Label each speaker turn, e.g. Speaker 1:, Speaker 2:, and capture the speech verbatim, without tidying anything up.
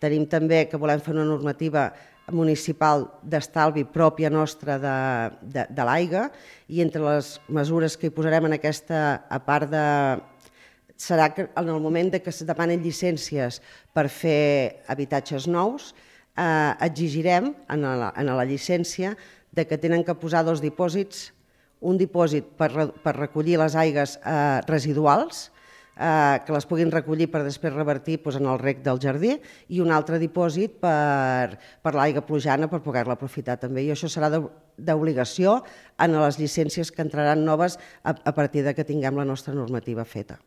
Speaker 1: Tenim també que volem fer una normativa municipal d'estalvi pròpia nostra de, de, de l'aigua, i entre les mesures que hi posarem en aquesta, a part de... serà que en el moment que es demanen llicències per fer habitatges nous, eh, exigirem en la, en la llicència de que tenen que posar dos dipòsits, un dipòsit per, per recollir les aigües eh, residuals, eh, que les puguin recollir per després revertir doncs, en el rec del jardí, i un altre dipòsit per, per l'aigua plujana per poder-la aprofitar també. I això serà d'obligació en les llicències que entraran noves a, a partir de que tinguem la nostra normativa feta.